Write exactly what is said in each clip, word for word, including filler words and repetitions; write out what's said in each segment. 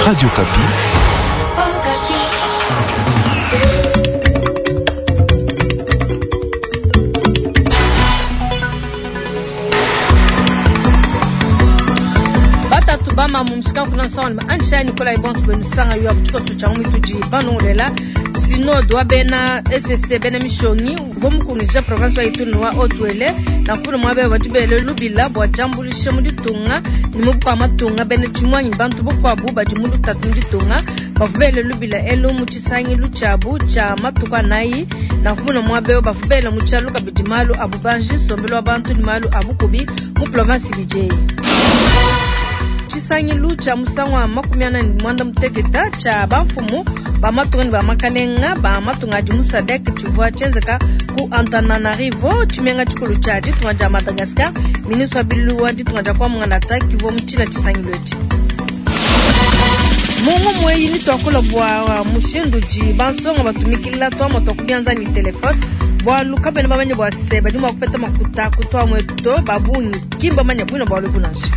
Radio Okapi. Batatu bama mumshika kuna sawa ansha Nicolas Ibons benusanga yo kuchiko cha mituji banongolela synode wa bena S C bena mishongi bomukungija province wa Ituri wa Haut-Uele na kuna mwabe batubele lubila bwa jambulisha muditunga ni mubwa matunga bena chimwanyi bantu bokwabu bajimulu tatu muditunga bavubele lubila elo muchisangi luchabu cha matuka nayi na kuna mwabe bavubele muchaluka bidimalu abubanji sombelo abantu ni malu abukubi mu province B J. Chisangilu cha musangwa makumi ana ni mwanda muteketa cha bamfumu ba matunga ni ba makalenga ba matunga di musadek chivwa chenzeka ku Antananarivo chimenga chikulu cha ditunga ja Madagascar ministre wa bilu wa ditunga ja kwa mungana ta kivwa mchina chisangilu echi. Mungu mweyi ni twakola bwa mushindu ji bansonga batumikila twa moto kubianza ni telefone bwa luka bene bamanye bwa se badi mwa kupeta makuta kutwa mweto babungi kimba manya bwino bwa lubunanshi.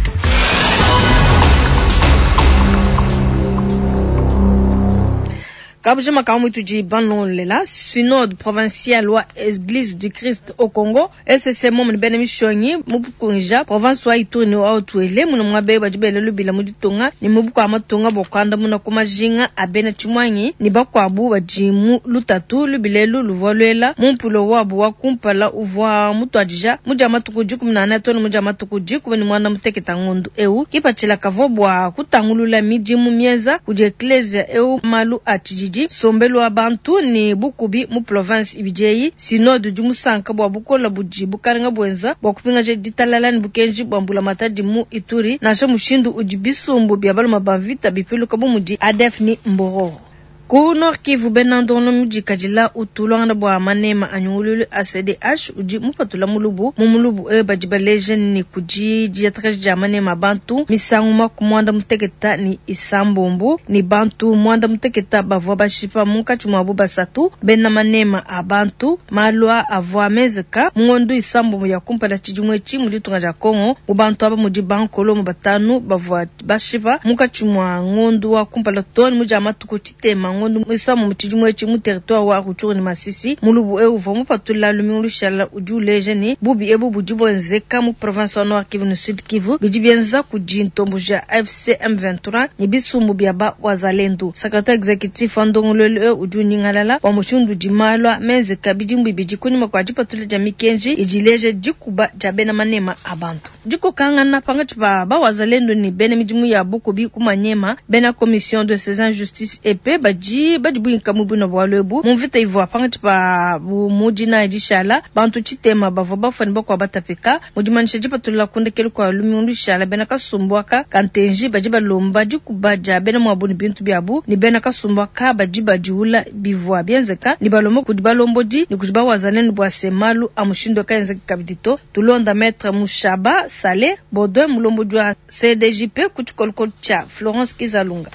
Kabujima kamutuji banlolela synode provincial wa Église du Christ au Congo S C M mu bene mishongi mubukunja province wa Ituri wa Haut-Uele muno mwabe badibele lubila muditunga ni mubukwa matunga bokwanda muna kumajinga abena chimwanyi ni bakwabu bajimu lutatu lubilelu luvolwela mumpulo wabu wa kumpala uvwa mutwadija muja matuku jikumi na ane tonu muja matuku jikumi ni mwana muteketa ngundu eu kipachila kavobwa kutangulula midimu mieza kudi eklezia eu malu atijiji sombelo abantu ni bukubi mu province ibijeyi synode du musanka bwa bukola buji bukarenga bwenza bwa kupinga je ditalala ni bukenji bwa mbula matadi mu Ituri nasha mushindu udi bisumbu bya baluma bavita bipiluka bumudi A D F ni Mbororo. Ku Nord Kivu benandono mujikajila utulwanga bwa manema anyungululu A C D H udi mupatula mulubu mu mulubu e badibaleje ni kuji diatraje ja manema bantu misangu makumwanda muteketa ni isambombo ni bantu mwanda muteketa bavwa bashipa munkatshi mwa basatu bena manema a bantu malwa avwa mezeka mungondu isambombo ya kumpala tshidimwe tshi mu ditunga dia Kongo mu bantu aba mudi bankolo mu batanu bavwa bashipa munkatshi mwa ngondu wa kumpala toni muja matuku tshitema ngondu misamu mutshidimwe tshi mu territoire wa Rutshuru ni Masisi mulubu e uvwa mupatula lumingu lushala udi uleje ni bubi ebu budi bwenzeka mu province wa Nord Kivu ni Sud Kivu bidi byenza kudi ntombo ja F C M vingt-trois ni bisumbu bya ba wazalendo secrétaire exécutif wa ndongololo e udi unyingalala wa mushindu di malwa menzeka bidimbu bidi kunyuma kwa dipatula dia mikenji idileje dikuba dia bena manema abantu dikokangana pangatshi pa ba wazalendo ni bena midimu ya bukubi kumanyema bena commission de saisine justice et paix badi badi buinka mubuna bwa lwebu mumvita ivwa pangatshi pa mudina edishala bantu tshitema bavwa bafani bakwa batapika mudimanisha dipatula kundekelu kwa lumingu lushala bena kasumbuaka kantenji badi balomba dikuba dia bena mwabuni bintu byabu ni bena kasumbuaka badi badiula bivwa byenzeka ni balomba kudi balombodi ni kudi bawazalendo bwa semalu amushindo kaenzeka kabidito tulonda maître Mushaba Sale Baudouin mulombodi wa C D J P kutshikolokolo tshia Florence Kizalunga.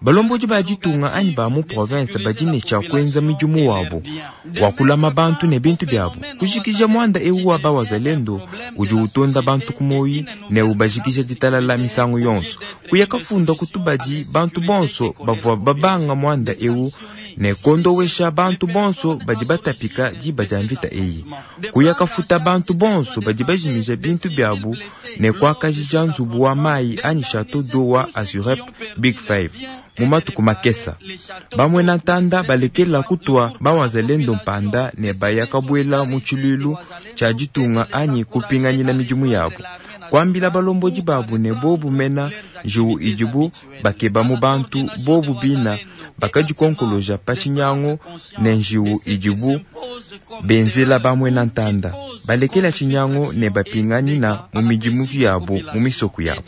Balomboji ba ditunga anyi ba mu province badine tshia kwenza midimu wabo wakulama bantu ne bintu byabo kujikija mwanda ewu wa bawazalendo udi utonda bantu kumoyi ne ubajikija ditalala misangu yonso kuyakafunda kutubadi bantu bonso bavua babanga mwanda ewu ne kondowesha bantu bonso badi batapika diba dia mvita eyi kuyakafuta bantu bonso badi bajimija bintu byabo ne kwakajija nzubu wa mayi anyi château d'eau wa Azurep Big Five mumatuku makesa bamwe na ntanda balekela kutwa bawazalendo mpanda ne bayakabwela mu tshilulu tshia ditunga anyi kupinganyina midimu yabo kwambila balombodi babu ne bobu mena njiwu idibu bakeba mu bantu bobu bina bakadikonkoloja pa tshinyangu ne njiwu idibu benzela bamwe na ntanda balekela tshinyangu ne bapinganyina mu midimu yabo mu misoko yabo.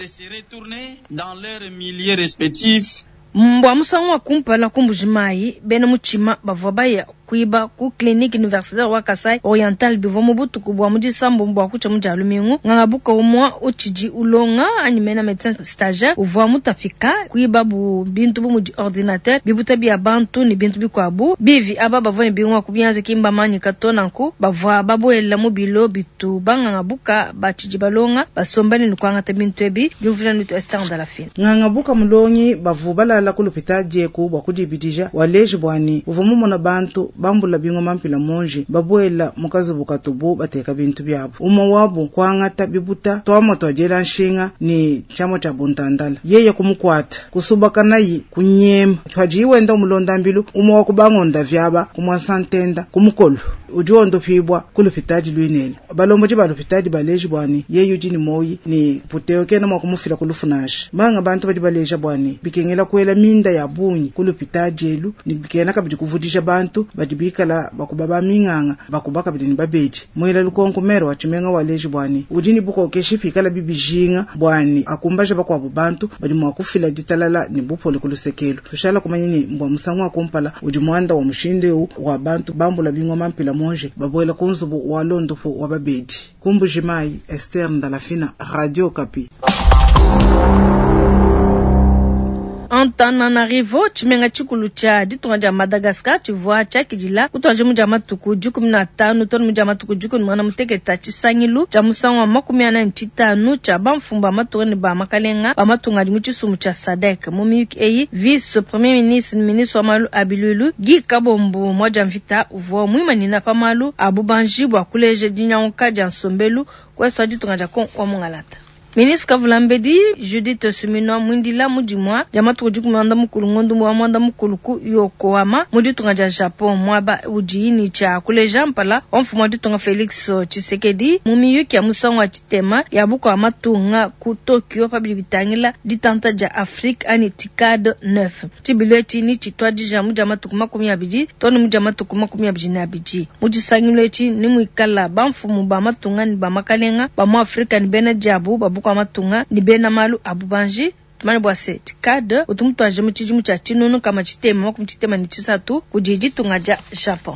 Mbwa musangu wa kumpala kumbuji mayi bena muchima bavwa baya kuiba ku clinique universitaire wa Kasai Oriental bivua mu butuku bua mu disambombo bua kutshia mu dia lumingu. Nganga buka umua utshidi ulonga anyi mena medecin stagiaire uvua mutapika kuiba bu bintu bu mudi ordinateur, bibuta bia bantu ne bintu bikuabu. Bivi aba bavua ne bingoma ku bianza ki mbamanyika to, nanku bavua babuela mu bilo bitu banganga buka batshidi balonga basomba ne kuangata bintu ebi. Diumvuija ne Esther Ndalafine. Nganga buka mulongi bavu balala ku lupita dieku bua kudibidija waleji bwani uvua mumona bantu bambula bingoma mpila monji babuela mukazubu katubu bateka bintu byabo umwe wabo kuangata bibuta twamwa twajela nshinga ni chamo cha buntandala yeye kumukwata kusubaka nayi kunyema twaji wenda umulonda mbilu umwe wa kubangonda vyaba kumwasantenda kumukolo udi ondopibwa kulupitadi lwinene balomboji balupitadi baleji bwani yeye udi ni moyi ni puteo kena mwa kumufila kulufunashi manga bantu badi baleja bwani bikengela kwela minda ya bunyi kulupitadi elu ni bikena kabidi kuvudisha bantu badi bikala bakuba minganga bakuba kabidi ni babedi mwela lukonko mero wa chimenga waleji bwani udi ni bukokeshi pikala bibijinga bwani akumbaje bakwabo bantu badi mwa kufila ditalala ni bupole kulusekelo tushala kumanya ni mbwa musangu wa kumpala udi mwanda wa mushinde wa bantu bambula bingoma mpila monje babwela kunzubu wa londopo wa babedi kumbujimai Esther Ndalafina, Radio Kapi. Antananarivo tshimenga tshikulu tshia ditunga dia Madagascar tshivua tshiakidila kutuadija mu dia matuku dikumi na tanu tonu mu dia matuku dikumi na muteketa tshisangilu tshia musangu wa makumi ana ne tshitanu tshia bamfumu ba matunga ne ba makalenga ba matunga adi mu tshisumbu tshia SADC. Mu miyuki eyi vice premier ministre ministre wa malu a bilulu Guy Kabombo mwadia mvita uvua muimanina pa malu a bubanji bua kuleja dinyanguka dia nsombelu kuesu ditunga dia Kongo wa Mungalata. Ministre Kavulambedi Judith Suminwa mwindila mudimwa dia matuku dikumi mwanda mukulu ngondu wa mwanda mukulu ku Yokohama mu ditunga dia Japon mwaba udi ni tshia kuleja mpala wa mfumu wa ditunga Felix Tshisekedi mu miyuki ya musangu wa tshitema ya buko wa matunga ku Tokyo pabili bitangila ditanta dia Afrique ani TICAD neuf. Tshibilu etshi ni tshituadija mu dia matuku makumi abidi tonu mu dia matuku makumi abidi na abidi. Mu tshisangilu etshi ni muikala bamfumu ba matunga ni ba makalenga ba mu Afrika ni bena diabu ba buko matunga ni bena malu abubanji tumane bwa se TICAD utumutwaje mu tshidimu tshia tshinunu kama tshitema makumi tshitema ni tshisatu kudi ditunga dia Japon.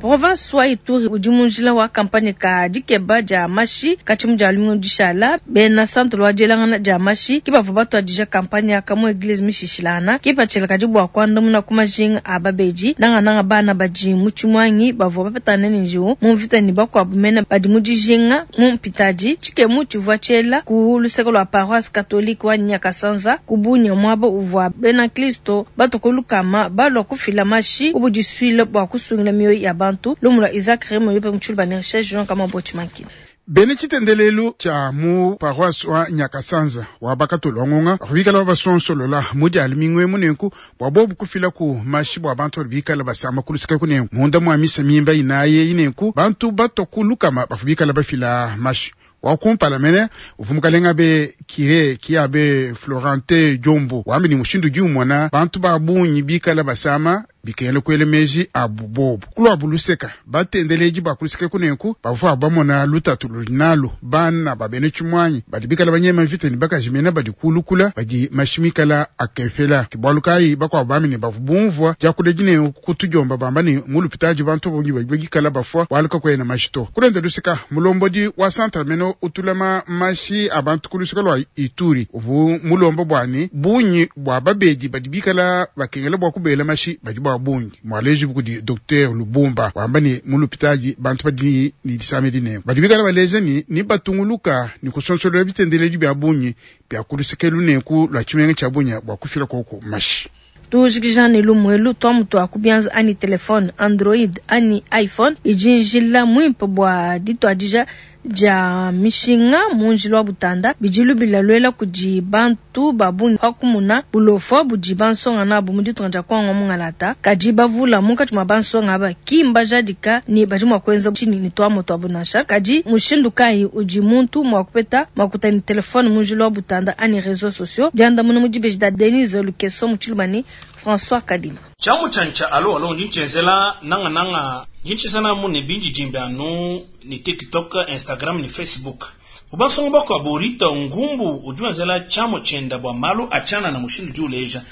Province wa Ituri udi mu njila wa kampanye ka dikeba dia mashi katshimu dia lumingu dishala bena centre lwa dielangana dia mashi ki bavua batuadija kampanye ya kamu eglise mishishilana kipatshila kadi bua kuandamuna ku majinga a babedi nangananga bana badi mu tshimwangi bavua bapetana ne njiwu mu mvita ne bakuabu mene badi mu dijinga mu mpitadi tshikemu tshivua tshiela ku luseke lua paroisse catholique wa Nyakasanza ku Bunia muaba uvua bena Kristo batokolukama balua kufila mashi ubudisuile bua kusungila mioyo ya bantu. Lumula Isaac Remo yope mchulu bane recherche Jean kama bochimanki. Bene tshitendelelu tshia mu paroisse wa Nyakasanza wa bakatolongonga bikala basonsolola mudi alimingwe munenku bwa bobu kufila ku mashi bwa bantu bikala basama kulusika kunenku munda mwa misa mimba inaye inenku bantu batokulukama bafubikala bafila mashi wakumpala mene uvumukalenga be kire kiabe Florente Jombo wambi ni mushindu jumwana bantu babunyi bikala basama bikele kwele meji abubobu kulwa buluseka batendeleji bakuluseka kunenku bavua bamona lutatu lulinalo bana babene chimwanyi badi bikala banyema mvita ni bakajimena badi kulukula badi mashimikala akefela kibwalukai bakwa bamine bavubumvwa jakule kutujomba bamba ni mulupitaji bantu bongi bagikala bafwa waluka kwena mashito kulenda luseka mulombodi wa centre meno utulama mashi abantu kuluseka lwa Ituri uvu mulombo bwani bunyi bwa babedi badi bikala bakengela bwa kubela mashi badi bwa bungi mwaleji bukudi Docteur Lubumba wamba ni mulupitaji bantu badi ni disamedi ne badi bikala baleje ni ni batunguluka ni kusonsolola bitendeleji bya bunyi bya kulusekelu neku lwa chimenga cha bunya bwa kufila koko mashi. Tujikija ne lumwelu twamutu akubianza ani telefone Android ani iPhone ijinjila mwimpe bwa ditwadija ja mishinga munjilo wa butanda bijilu bilalwela kudi bantu babungi pakumuna bulofo budi bansonga nabo mu ditunga dia Kongo mungalata kadi bavula munkatshi mua bansonga aba kimba jadika ni badi mua kuenza tshini ni twamoto abu nansha kadi mushindu kayi udi muntu mua kupeta makuta ni telefone munjilo wa butanda ani réseaux sociaux diandamuna mu dibeji da Denise Lukeso mu tshilumani François Kadima. Chamu chancha alo alo njinchenzela nanga nanga njinchezana mu ne binji jimbe anu ni TikTok, Instagram ni Facebook. Ubasongo bako aborita ngumbu ujuazela chamo chenda bwa malu achana na mushindu juleja.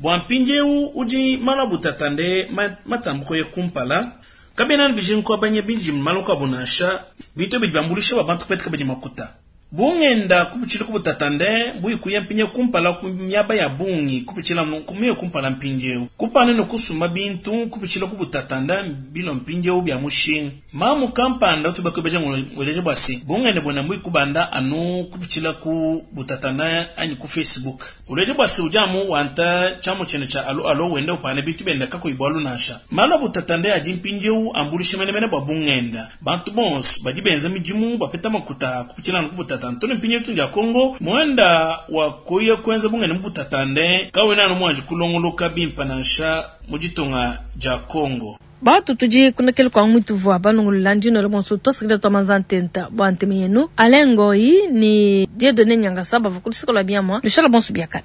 Bua mpindieu udi malu a butatande matambuko ye kumpala kabena bijinga kuabanya bindi malu kuabu nansha bintu bidi biambuluisha ba bantu kupeta kabidi makuta. Bungenda kupitshila ku butatande buyi kuya mpinye kumpala ku miaba ya bungi kupitshila kumiye kumpala mpindieu kupana ne kusuma bintu kupitshila ku butatanda bilo mpindieu bya mushinga. Mamu kampanda utubakebeja ngweleje bwa se bungende bwena mbuyi kubanda anu kupitshila ku butatanda anyi ku Facebook. Uleje bwa se ujamu wanta chamu chene cha alo alo wenda upana bintu benda kakuyi bwalu nansha. Malu a butatande adi mpindieu ambulisha menemene bwa bungenda. Bantu bonso badi benza midimu bapeta makuta kupitshila ku butatanda. Ntone mpinye tunja Kongo mwenda wa kuya kwenza bungene mbutatande kawena anu mwanji kulongoloka bimpa nansha muditunga ja Kongo. Batu tudi kunakele kwa mwitu vwa banungulula ndino le bonso tosikile twa manzantenta bwa ntemi yenu. Alain Ngoyi ni Dieudonné Nyangasa bava kulisika lwa biamwa lushala bonso biakana.